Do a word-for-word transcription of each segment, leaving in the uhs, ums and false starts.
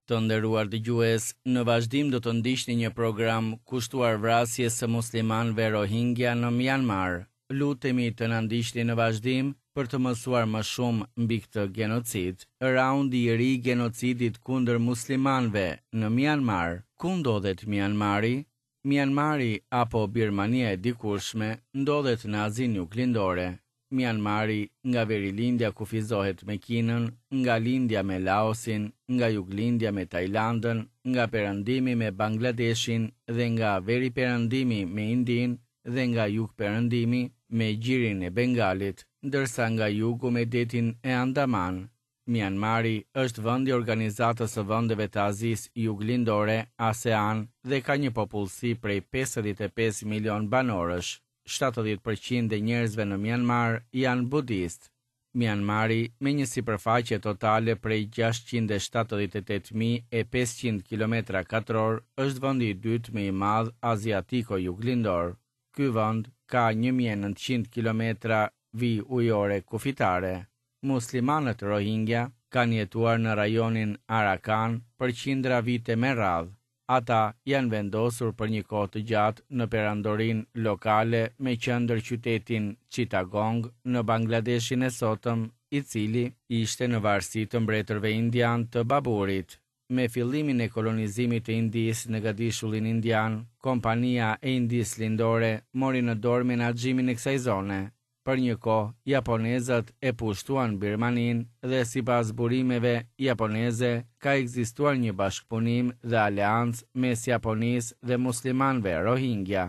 Të nderuar dëgjues, në vazhdim do të ndiqni një program kushtuar vrasjes së muslimanëve Rohingya në Myanmar. Lutemi të na ndiqni në vazhdim për të mësuar më shumë mbi këtë gjenocid. Raundi i ri i gjenocidit kundër muslimanëve në Myanmar. Ku ndodhet Myanmari? Myanmari apo Birmania e dikurshme ndodhet në Azinë Juglindore. Myanmari nga verilindja kufizohet me Kinën, nga lindja me Laosin, nga juglindja me Tajlandën, nga perëndimi me Bangladeshin dhe nga veriperëndimi me Indinë dhe nga jugperëndimi me Gjirin e Bengalit, ndërsa nga jugu me detin e Andaman. Myanmari është vendi i Organizatës së Vendeve të Azisë Juglindore, ASEAN, dhe ka një popullsi prej pesëdhjetë e pesë milion banorësh. shtatëdhjetë përqind e njerëzve në Myanmar janë budistë. Myanmari, me një sipërfaqe totale prej gjashtëqind e shtatëdhjetë e tetë mijë e pesëqind kilometra katror, është vendi i dytë më i madh aziatiko-juglindor. Ky vend ka një mijë e nëntëqind kilometra vijë ujore kufitare. Muslimanët Rohingya kanë jetuar në rajonin Arakan për qindra vite me radhë. Ata janë vendosur për një kohë të gjatë në perandorinë lokale me qendër qytetin Chittagong në Bangladeshin e sotëm, i cili ishte në varësi të mbretërve indianë të Baburit. Me fillimin e kolonizimit të Indisë në gadishullin indian, Kompania e Indisë Lindore mori në dorë menaxhimin e kësaj zone. Për një kohë, japonezët e pushtuan Birmaninë dhe sipas burimeve japoneze ka ekzistuar një bashkëpunim dhe aleancë mes Japonisë dhe muslimanëve Rohingya.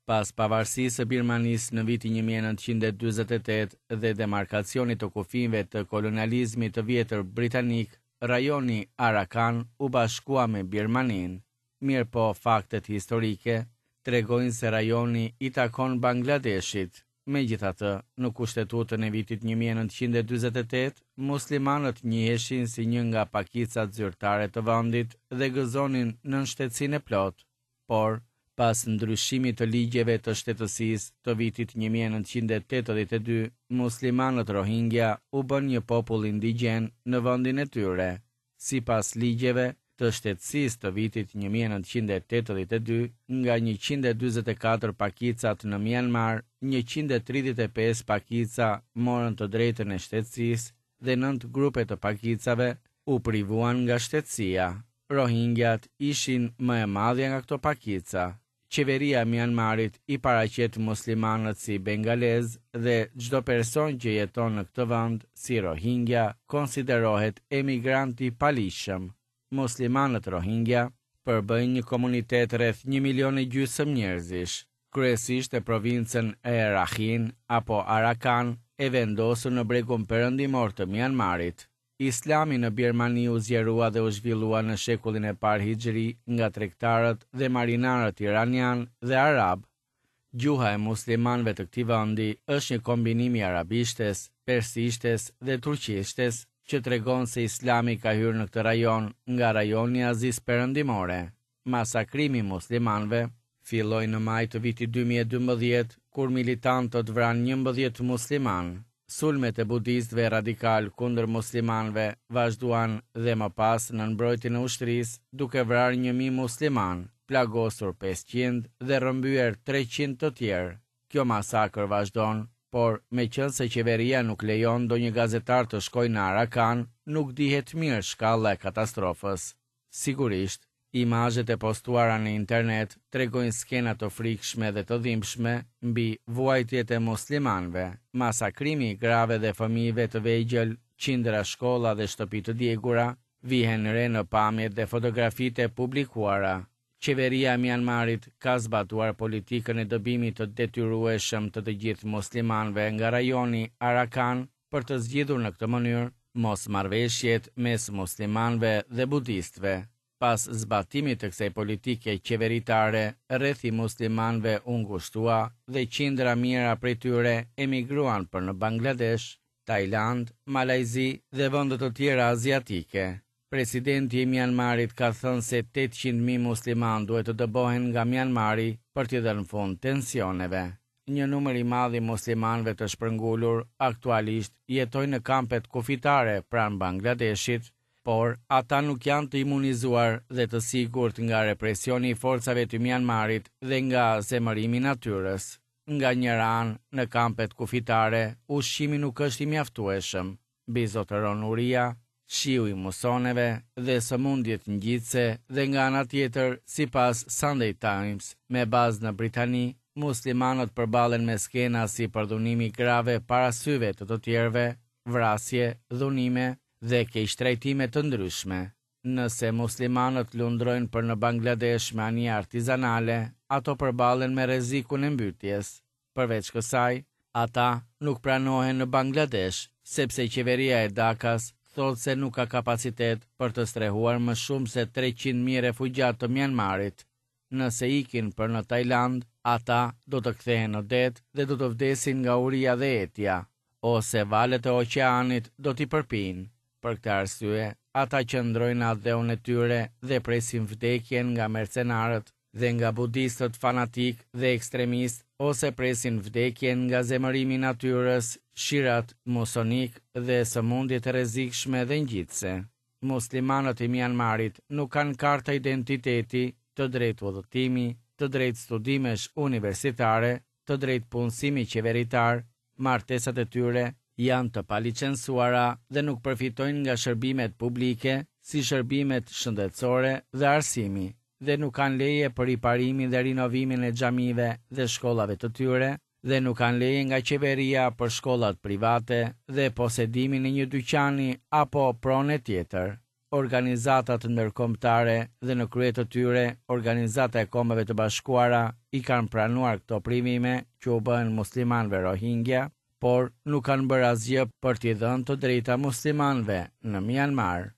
Pas pavarësisë së Birmanisë në vitin një mijë e nëntëqind e dyzet e tetë dhe demarkacionit të kufinjve të kolonializmit të vjetër britanik, rajoni Arakan u bashkua me Birmaninë. Mirëpo, faktet historike tregojnë se rajoni i takon Bangladeshit. Megjithatë, në kushtetutën e vitit një mijë e nëntëqind e dyzet e tetë, muslimanët njiheshin si një nga pakicat zyrtare të vendit dhe gëzonin nënshtetësinë e plotë. Por, pas ndryshimit të ligjeve të shtetësisë të vitit një mijë e nëntëqind e tetëdhjetë e dy, muslimanët Rohingya u bënë një popull indigjen në vendin e tyre. Sipas ligjeve të shtetësisë të vitit një mijë e nëntëqind e tetëdhjetë e dy, nga njëqind e dyzet e katër pakicat në Myanmar, njëqind e tridhjetë e pesë pakica morën të drejtën e shtetësisë dhe nëntë grupe të pakicave u privuan nga shtetësia. Rohingyat ishin më e madhja nga këto pakica. Qeveria e Myanmarit i paraqet muslimanët si bengalez dhe çdo person që jeton në këtë vend si Rohingya konsiderohet emigrant i paligjshëm. Muslimanët Rohingya përbëjnë një komunitet rreth një milion e gjysmë njerëzish, kryesisht e provincën e Rakhine apo Arakan, e vendosur në bregun perëndimor të Myanmarit. Islami në Birmani u zgjerua dhe u zhvillua në shekullin e parë Hijri nga tregtarët dhe marinarët iranian dhe arab. Gjuha e muslimanëve të këtij vendi është një kombinim i arabishtes, persishtes dhe turqishtes, që tregon se Islami ka hyrë në këtë rajon nga rajoni i Azisë Perëndimore. Masakrimi i muslimanëve filloi në maj të vitit dy mijë e dymbëdhjetë, kur militantët vranë njëmbëdhjetë muslimanë. Sulmet e budistëve radikal kundër muslimanëve vazhduan dhe më pas në mbrojtjen e ushtrisë, duke vrarë një mijë muslimanë, plagosur pesëqind dhe rrëmbyer treqind të tjerë. Kjo masakër vazhdon, por meqense qeveria nuk lejon ndonjë gazetar të shkojë në Arakan, nuk dihet mirë shkalla e katastrofës. Sigurisht, imazhet e postuara në internet tregojnë skena të frikshme dhe të dhimbshme mbi vuajtjet e muslimanëve, masakrimi i grave dhe fëmijëve të vegjël, qindra shkolla dhe shtëpi të djegura, vihen re në pamjet dhe fotografitë e publikuara. Qeveria e Myanmarit ka zbatuar politikën e dëbimit të detyrueshëm të të gjithë muslimanëve nga rajoni Arakan për të zgjidhur në këtë mënyrë mosmarrëveshjet mes muslimanëve dhe budistëve. Pas zbatimit të kësaj politike qeveritare, rrethi i muslimanëve u ngushtua dhe qindra mijëra prej tyre emigruan për në Bangladesh, Tajland, Malajzi dhe vende të tjera aziatike. Presidenti i Myanmarit ka thënë se tetëqind mijë muslimanë duhet të dëbohen nga Myanmari për t'i dhënë fund tensioneve. Një numër i madh i muslimanëve të shpërngulur aktualisht jetojnë në kampet kufitare pranë Bangladeshit, Por, ata nuk janë të imunizuar dhe të sigurt nga represioni i forcave të Myanmarit dhe nga zemërimi i natyrës. Nga njëra anë, në kampet kufitare, ushqimi nuk është i mjaftueshëm. Mbizotëron uria, shiu i musoneve dhe sëmundjet ngjitëse dhe nga ana tjetër, sipas Sunday Times, me bazë në Britani, muslimanët përballen me skena si përdhunimi i grave para syve të të tjerëve, vrasje, dhunime dhe keqtrajtime të ndryshme. Nëse muslimanët lundrojnë për në Bangladesh me anije artizanale, ato përballen me rrezikun e mbytjes. Përveç kësaj, ata nuk pranohen në Bangladesh, sepse qeveria e Dhakas thotë se nuk ka kapacitet për të strehuar më shumë se treqind mijë refugjatë të Myanmarit. Nëse ikin për në Tajland, ata do të kthehen në det dhe do të vdesin nga uria dhe etja, ose valët e oqeanit do t'i përpijnë. Për këtë arsye, ata qëndrojnë në atdheun e tyre dhe presin vdekjen nga mercenarët dhe nga budistët fanatik dhe ekstremistë, ose presin vdekjen nga zemërimi i natyrës, shirat musonik dhe sëmundjet e rrezikshme dhe ngjitëse. Muslimanët e Myanmarit nuk kanë karta identiteti, të drejtë udhëtimi, të drejtë studimesh universitare, të drejtë punësimi qeveritar, martesat e tyre janë të palicensuara dhe nuk përfitojnë nga shërbimet publike, si shërbimet shëndetësore dhe arsimi, dhe nuk kanë leje për riparimin dhe rinovimin e xhamive dhe shkollave të tyre, dhe nuk kanë leje nga qeveria për shkollat private dhe posedimin e një dyqani apo prone tjetër. Organizatat ndërkombëtare dhe në krye të tyre Organizata e Kombeve të Bashkuara i kanë pranuar këto privime që u bëhen muslimanëve Rohingya, por nuk kanë bërë asgjë për t'i dhënë të drejta muslimanëve në Myanmar.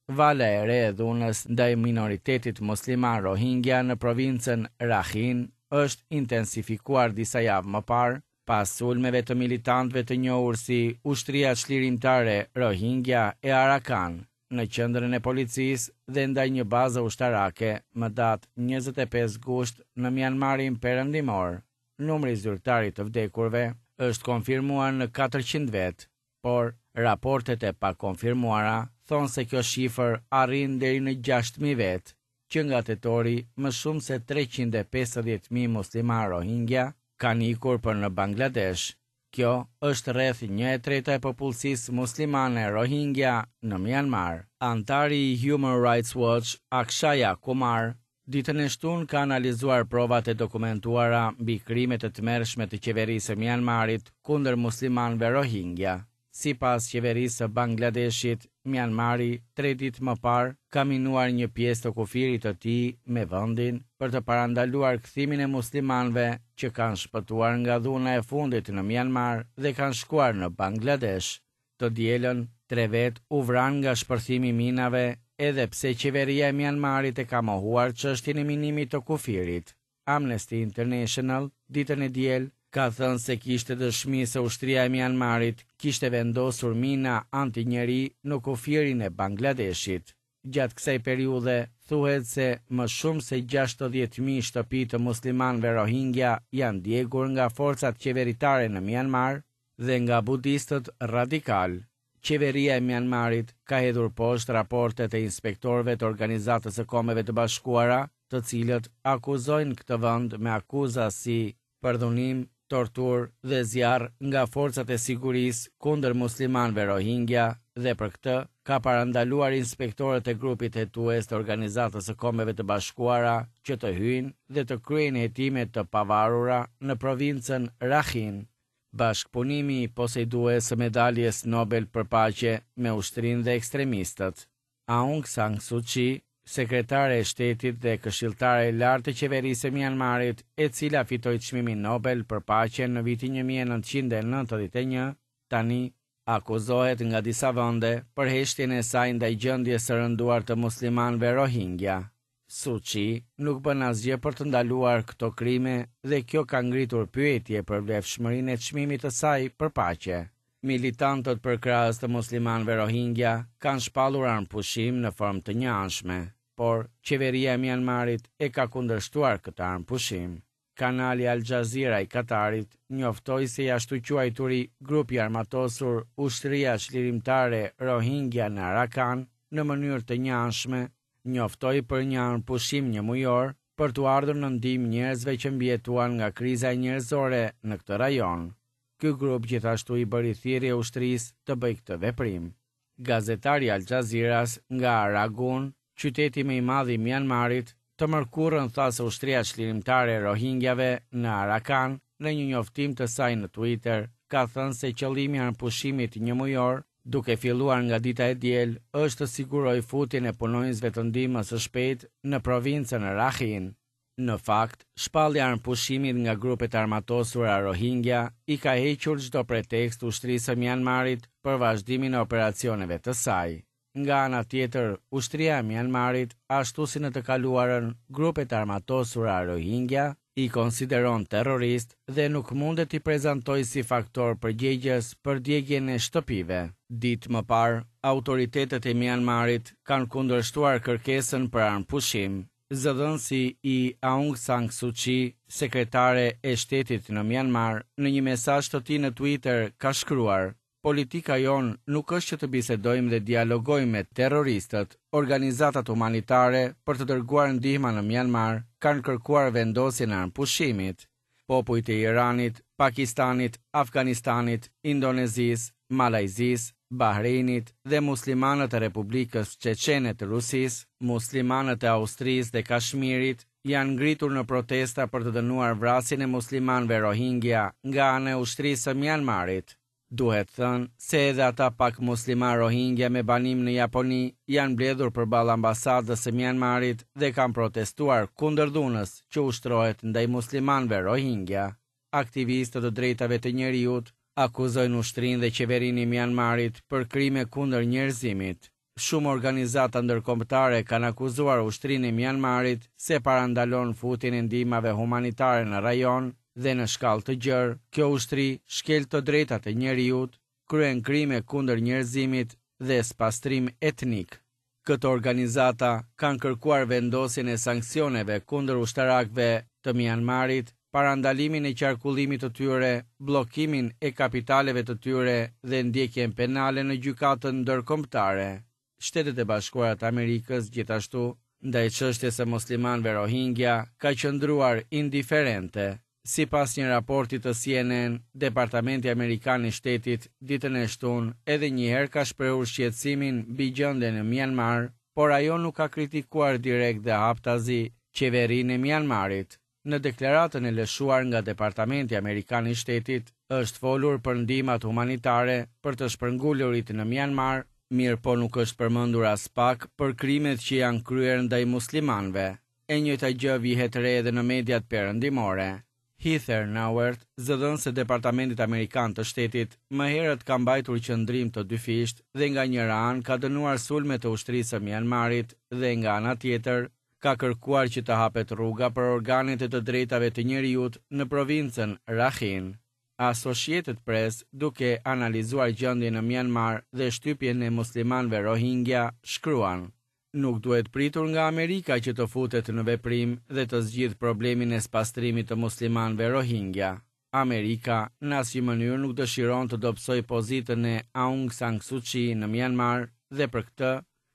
Vala e re e dhunës ndaj minoritetit musliman Rohingya në provincën Rakhine është intensifikuar disa javë më parë, pas sulmeve të militantëve të njohur si Ushtria Çlirimtare Rohingya e Arakan në qendrën e policisë dhe ndaj një baze ushtarake më datë njëzet e pesë gusht në Myanmarin perëndimor. Numri zyrtar i të vdekurve është konfirmuar në katërqind vet, por raportet e pakonfirmuara thonë se kjo shifër arrin deri në gjashtë mijë vet. Që nga tetori, më shumë se treqind e pesëdhjetë mijë musliman Rohingya kanë ikur për në Bangladesh. Kjo është rreth një e treta e popullsisë muslimane Rohingya në Myanmar. Antari i Human Rights Watch, Akshaya Kumar, ditën e shtunë ka analizuar provat e dokumentuara mbi krimet e tmerrshme të qeverisë së Myanmarit kundër muslimanëve Rohingya. Sipas qeverisë së Bangladeshit, Myanmari tre ditë më parë ka minuar një pjesë të kufirit të tij me vendin për të parandaluar kthimin e muslimanëve që kanë shpëtuar nga dhuna e fundit në Myanmar dhe kanë shkuar në Bangladesh. Të dielën, tre vet u vranë nga shpërthimi i minave, edhe pse qeveria e Myanmarit e ka mohuar çështjen e minimit të kufirit. Amnesty International, ditën e diel, ka thënë se kishte dëshmi se ushtria e Myanmarit kishte vendosur mina anti-njeri në kufirin e Bangladeshit. Gjatë kësaj periudhe, thuhet se më shumë se gjashtëdhjetë mijë shtëpi të muslimanëve Rohingya janë djegur nga forcat qeveritare në Myanmar dhe nga budistët radikal. Qeveria e Myanmarit ka hedhur poshtë raportet e inspektorëve të Organizatës së Kombeve të Bashkuara, të cilët akuzojnë këtë vend me akuza si përdhunim, tortur dhe zjarr nga forcat e sigurisë kundër muslimanëve Rohingya dhe për këtë ka parandaluar inspektorët e grupit hetues të Organizatës së Kombeve të Bashkuara që të hyjnë dhe të kryejnë hetime të pavarura në provincën Rakhine. Bashkëpunimi i posedues së medaljes Nobel për paqe me ushtrinë dhe ekstremistët. Aung San Suu Kyi, sekretare e shtetit dhe këshilltare e lartë e qeverisë së Myanmarit, e cila fitoi çmimin Nobel për paqe në vitin një mijë e nëntëqind e nëntëdhjetë e një, tani akuzohet nga disa vende për heshtjen e saj ndaj gjendjes së rënduar të muslimanëve Rohingya. Suu Kyi nuk bën asgjë për të ndaluar këto krime dhe kjo ka ngritur pyetje për vlefshmërinë e çmimit të saj për paqe. Militantët përkrahës të muslimanëve Rohingya kanë shpallur armëpushim në formë të njëanshme, por qeveria e Myanmarit e ka kundërshtuar këtë armëpushim. Kanali Al Jazeera i Katarit njoftoi se i ashtuquajturi grupi armatosur Ushtria Çlirimtare Rohingya në Arakan në mënyrë të njëanshme, njoftoi për një armëpushim njëmujor për t'u ardhur në ndihmë njerëzve që mbijetuan nga kriza njerëzore në këtë rajon. Ky grup gjithashtu i bëri thirrje ushtrisë të bëjë këtë veprim. Gazetari Al Jazeera-s nga Rangun, qyteti më i madh i Myanmarit, të mërkurën tha se ushtria çlirimtare e Rohingyave në Arakan, në një njoftim të saj në Twitter, ka thënë se qëllimi i armëpushimit njëmujor, duke filluar nga dita e diel, është të sigurojë futjen e punonjësve të ndihmës së shpejtë në provincën Rakhine. Në fakt, shpallja e armëpushimit nga grupet armatosura Rohingya i ka hequr çdo pretekst ushtrisë së Myanmarit për vazhdimin e operacioneve të saj. Nga ana tjetër, ushtria e Myanmarit, ashtu si në të kaluarën, grupet armatosura Rohingya i konsideron terrorist dhe nuk mundet t'i prezantojë si faktor përgjegjës për djegien e shtëpive. Ditë më parë, autoritetet e Myanmarit kanë kundërshtuar kërkesën për armëpushim. Zëdhënësi i Aung San Suu Kyi, sekretare e shtetit në Myanmar, në një mesazh të tij në Twitter ka shkruar: "Politika jonë nuk është që të bisedojmë dhe dialogojmë me terroristët. Organizatat humanitare për të dërguar ndihma në Myanmar kanë kërkuar vendosjen e armëpushimit. Popujt e Iranit, Pakistanit, Afganistanit, Indonezisë, Malajzisë, Bahreinit dhe muslimanët e Republikës Çeçene të Rusisë, muslimanët e Austrisë dhe Kashmirit janë ngritur në protesta për të dënuar vrasjen e muslimanëve Rohingya nga ana e ushtrisë së Myanmarit. Duhet thënë se edhe ata pak musliman Rohingya me banim në Japoni janë mbledhur përballë ambasadës së Myanmarit dhe kanë protestuar kundër dhunës që ushtrohet ndaj muslimanëve Rohingya. Aktivistët të drejtave të njeriut akuzojnë ushtrinë dhe qeverinë e Myanmarit për krime kundër njerëzimit. Shumë organizata ndërkombëtare kanë akuzuar ushtrinë e Myanmarit se parandalon futjen e ndihmave humanitare në rajon dhe në shkallë të gjerë, kjo ushtri shkel të drejtat e njeriut, kryen krime kundër njerëzimit dhe spastrim etnik. Këto organizata kanë kërkuar vendosjen e sanksioneve kundër ushtarakëve të Myanmarit, parandalimin e qarkullimit të tyre, bllokimin e kapitaleve të tyre dhe ndjekjen penale në gjykatën ndërkombëtare. Shtetet e Bashkuara të Amerikës gjithashtu, ndaj çështjes së muslimanëve Rohingya, ka qëndruar indiferente. Sipas një raporti të C N N, Departamenti Amerikan i Shtetit ditën e shtunë edhe një herë ka shprehur shqetësimin mbi gjendjen në Myanmar, por ajo nuk ka kritikuar direkt dhe haptazi qeverinë e Myanmarit. Në deklaratën e lëshuar nga Departamenti Amerikan i Shtetit, është folur për ndihmat humanitare për të shpërngulurit në Myanmar, mirë po nuk është përmendur as pak për krimet që janë kryer ndaj muslimanëve. E njëjta gjë vihet re edhe në mediat perëndimore. Heather Nauert, zëdhënëse e Departamentit Amerikan të Shtetit, më herët ka mbajtur qëndrim të dyfisht dhe nga njëra anë ka dënuar sulmet e ushtrisë së Myanmarit dhe nga ana tjetër ka kërkuar që të hapet rruga për organet e të drejtave të njeriut në provincën Rakhine. Associated Press, duke analizuar gjendjen në Myanmar dhe shtypjen e muslimanëve Rohingya, shkruan: Nuk duhet pritur nga Amerika që të futet në veprim dhe të zgjidhë problemin e spastrimit të muslimanëve Rohingya. Amerika në asnjë mënyrë nuk dëshiron të dobësojë pozitën e Aung San Suu Kyi në Myanmar dhe për këtë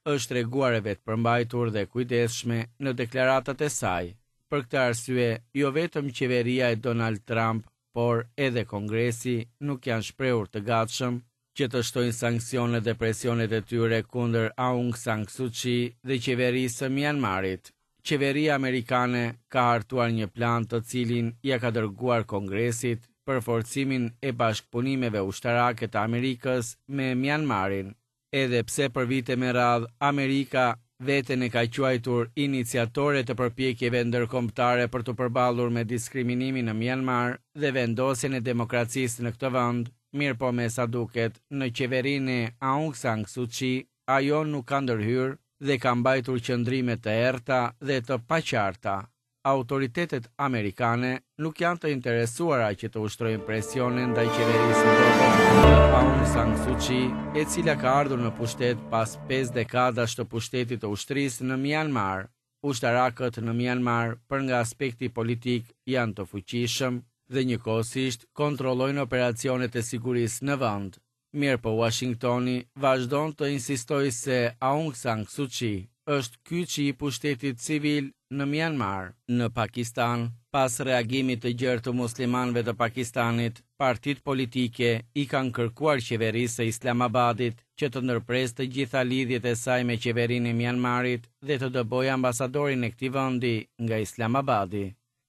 është treguar e vetëpërmbajtur dhe kujdesshme në deklaratat e saj. Për këtë arsye, jo vetëm qeveria e Donald Trump, por edhe Kongresi nuk janë shprehur të gatshëm që të shtojnë sanksionet dhe presionet e tyre kundër Aung San Suu Kyi dhe qeverisë së Myanmarit. Qeveria amerikane ka hartuar një plan të cilin ia ka dërguar Kongresit për forcimin e bashkëpunimeve ushtarake të Amerikës me Myanmarin. Edhe pse për vite me radhë Amerika veten e ka quajtur iniciatore të përpjekjeve ndërkombëtare për të përballur me diskriminimin në Myanmar dhe vendosjen e demokracisë në këtë vend, mirë po me sa duket, në qeverinë e Aung San Suu Kyi, ajo nuk ka ndërhyrë dhe ka mbajtur qëndrime të errëta dhe të paqarta. Autoritetet amerikane nuk janë të interesuara që të ushtrojnë presione ndaj qeverisë së dobët të Aung San Suu Kyi, e cila ka ardhur në pushtet pas pesë dekadash të pushtetit të ushtrisë në Myanmar. Ushtarakët në Myanmar, për nga aspekti politik, janë të fuqishëm dhe njëkohësisht kontrollojnë operacionet e sigurisë në vend. Mirëpo Uashingtoni vazhdon të insistojë se Aung San Suu Kyi është kyçi i pushtetit civil në Mianmar. Në Pakistan, pas reagimit të gjerë të muslimanëve të Pakistanit, partitë politike i kanë kërkuar qeverisë së Islamabadit që të ndërpresë të gjitha lidhjet e saj me qeverinë e Mianmarit dhe të dëbojë ambasadorin e këtij vendi nga Islamabadi.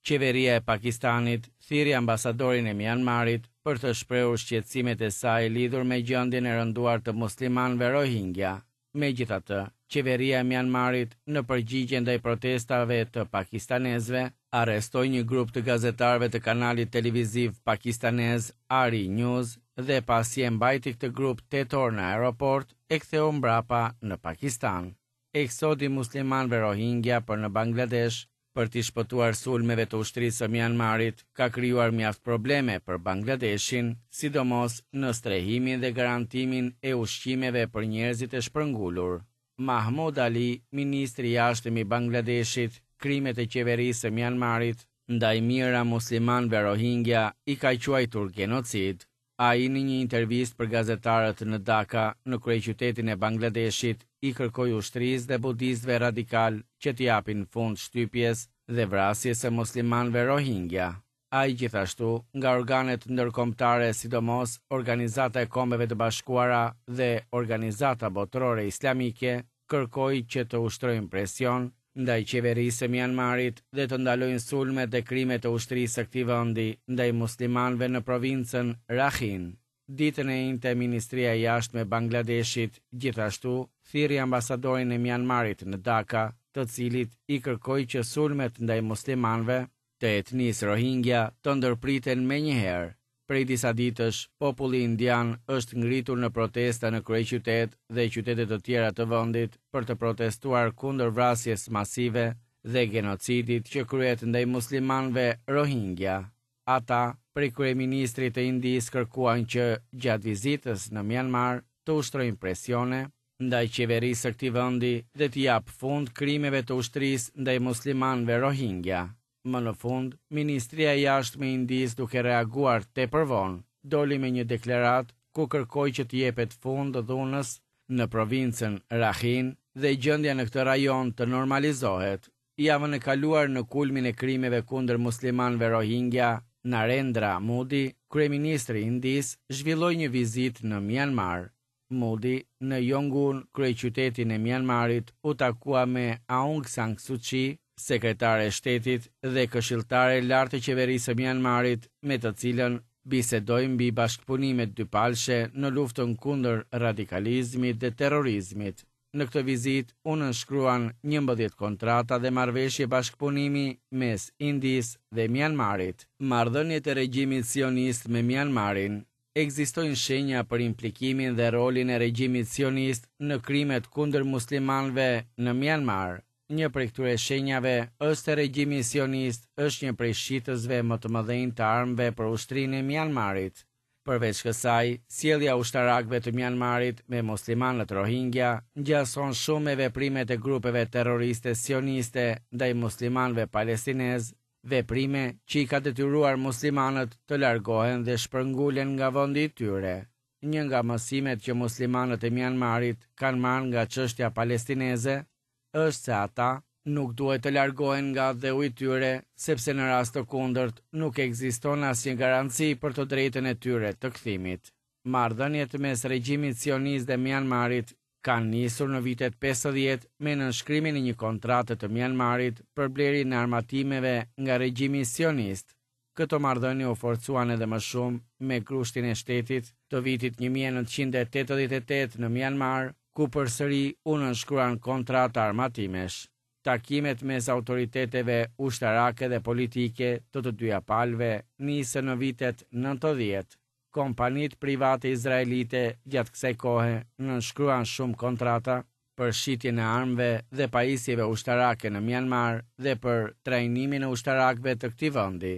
Qeveria e Pakistanit thirri ambasadorin e Mianmarit për të shprehur shqetësimet e saj lidhur me gjendjen e rënduar të muslimanëve Rohingya. Megjithatë, qeveria e Mianmarit, në përgjigje ndaj protestave të pakistanezëve, arrestoi një grup të gazetarëve të kanalit televiziv pakistanez Ari News dhe pasi e mbajti këtë grup tetë orë në aeroport, e ktheu mbrapa në Pakistan. Eksodi i muslimanëve Rohingya për në Bangladesh për t'i shpëtuar sulmeve të ushtrisë së Mianmarit ka krijuar mjaft probleme për Bangladeshin, sidomos në strehimin dhe garantimin e ushqimeve për njerëzit e shpërngulur. Mahmud Ali, ministri i Jashtëm i Bangladeshit, krimet e qeverisë së Mianmarit ndaj mijëra muslimanëve Rohingya i ka quajtur gjenocid. Ai në një intervistë për gazetarët në Dhaka, në kryeqytetin e Bangladeshit, i kërkoi ushtrisë dhe budistëve radikalë që t'i japin fund shtypjes dhe vrasjes së muslimanëve Rohingya. Ai gjithashtu, nga organet ndërkombëtare, sidomos Organizata e Kombeve të Bashkuara dhe Organizata Botërore Islamike, kërkoi që të ushtrojnë presion ndaj qeverisë së Mianmarit dhe të ndalojnë sulmet dhe krimet e ushtrisë së këtij vendi ndaj muslimanëve në provincën Rakhine. Ditën e enjte, Ministria e Jashtme e Bangladeshit gjithashtu thirri ambasadorin e Mianmarit në Dhaka, të cilit i kërkoi që sulmet ndaj muslimanëve të etnisë Rohingya të ndërpriten menjëherë. Prej disa ditësh, populli indian është ngritur në protesta në kryeqytet dhe qytete të tjera të vendit për të protestuar kundër vrasjes masive dhe gjenocidit që kryhet ndaj muslimanëve Rohingya. Ata, prej kryeministrit të Indisë, kërkuan që gjatë vizitës në Myanmar të ushtrojnë presione ndaj qeverisë së këtij vendi dhe t'i japë fund krimeve të ushtrisë ndaj muslimanëve Rohingya. Më në fund, Ministria e Jashtme e Indisë, duke reaguar tepër vonë, doli me një deklaratë ku kërkoi që t'i jepet fund dhunës në provincën Rakhine dhe gjendja në këtë rajon të normalizohet. Javën e kaluar, në kulmin e krimeve kundër muslimanëve Rohingya, Narendra Modi, kryeministri i Indisë, zhvilloi një vizitë në Myanmar. Modi, në Yangon, kryeqytetin e Myanmarit, u takua me Aung San Suu Kyi, sekretare e shtetit dhe këshilltare e lartë e qeverisë së Myanmarit, me të cilën bisedoi mbi bashkëpunimet dypalshe në luftën kundër radikalizmit dhe terrorizmit. Në këtë vizitë u nënshkruan njëmbëdhjetë kontrata dhe marrëveshje bashkëpunimi mes Indisë dhe Myanmarit. Marrëdhëniet e regjimit sionist me Myanmarin. Ekzistojnë shenja për implikimin dhe rolin e regjimit sionist në krimet kundër muslimanëve në Myanmar. Një prej këtyre shenjave është se regjimi sionist është një prej shitësve më të mëdhenj të armëve për ushtrinë e Myanmarit. Përveç kësaj, sjellja e ushtarakëve të Myanmarit me muslimanët Rohingya ngjason shumë me veprimet e grupeve terroriste sioniste ndaj muslimanëve palestinezë, veprime që i ka detyruar muslimanët të largohen dhe shpërngulen nga vendi i tyre. Një nga mësimet që muslimanët e Myanmarit kanë marrë nga çështja palestineze është se ata nuk duhet të largohen nga atdheu i tyre, sepse në rast të kundërt nuk ekziston asnjë garanci për të drejtën e tyre të kthimit. Marrëdhëniet mes regjimit sionist dhe Myanmarit kanë nisur në vitet pesëdhjetë me nënshkrimin e një kontrate të Myanmarit për blerjen e armatimeve nga regjimi sionist. Këto marrëdhënie u forcuan edhe më shumë me grushtin e shtetit të vitit një mijë e nëntëqind e tetëdhjetë e tetë në Myanmar, ku përsëri u nënshkruan kontrata armatimesh. Takimet mes autoriteteve ushtarake dhe politike të të dyja palëve nisën në vitet nëntëdhjetë. Kompanitë private izraelite gjatë kësaj kohe nënshkruan shumë kontrata për shitjen e armëve dhe pajisjeve ushtarake në Myanmar dhe për trajnimin e ushtarakëve të këtij vendi.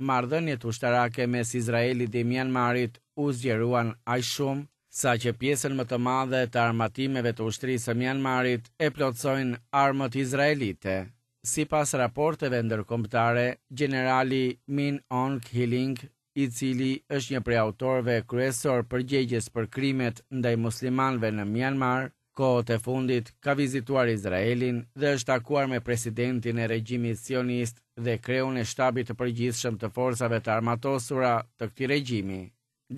Marrëdhëniet ushtarake mes Izraelit dhe Myanmarit u zgjeruan aq shumë sa që pjesën më të madhe të armatimeve të ushtrisë së Myanmarit e plotësojnë armët izraelite. Sipas raporteve ndërkombëtare, gjenerali Min Aung Hlaing i cili është një prej autorëve kryesor përgjegjës për krimet ndaj muslimanëve në Myanmar, kohët e fundit ka vizituar Izraelin dhe është takuar me presidentin e regjimit sionist dhe kreun e shtabit të përgjithshëm të forcave të armatosura të këtij regjimi.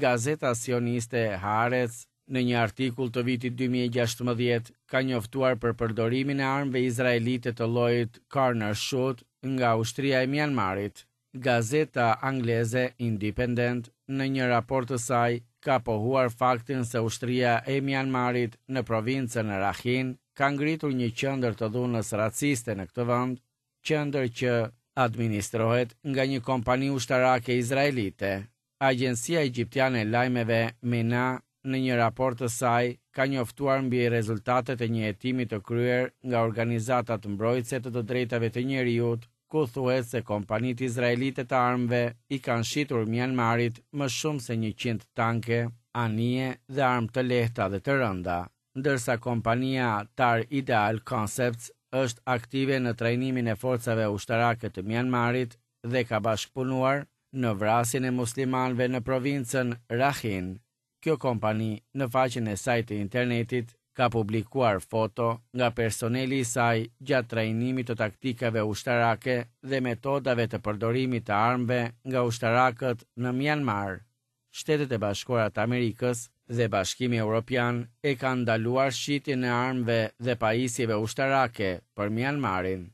Gazeta sioniste Haaretz në një artikull të vitit dy mijë e gjashtëmbëdhjetë ka njoftuar për përdorimin e armëve izraelite të llojit Corner Shoot nga ushtria e Myanmarit. Gazeta angleze Independent në një raport të saj ka pohuar faktin se ushtria e Myanmarit në provincën Rakhine ka ngritur një qendër të dhunës raciste në këtë vend, qendër që administrohet nga një kompani ushtarake izraelite. Agjencia egjiptiane e lajmeve MENA në një raport të saj ka njoftuar mbi rezultatet e një hetimi të kryer nga organizatat mbrojtëse të të drejtave të njeriut, ku thuhet se kompanitë izraelite të armëve i kanë shitur Myanmarit më shumë se njëqind tanke, anije dhe armë të lehta dhe të rënda, ndërsa kompania Tar Ideal Concepts është aktive në trajnimin e forcave ushtarake të Myanmarit dhe ka bashkëpunuar në vrasjen e muslimanëve në provincën Rakhine. Kjo kompani në faqen e saj të internetit ka publikuar foto nga personeli i saj gjatë trajnimit të taktikave ushtarake dhe metodave të përdorimit të armëve nga ushtarakët në Myanmar. Shtetet e Bashkuara të Amerikës dhe Bashkimi Evropian e kanë ndaluar shitjen e armëve dhe pajisjeve ushtarake për Myanmarin.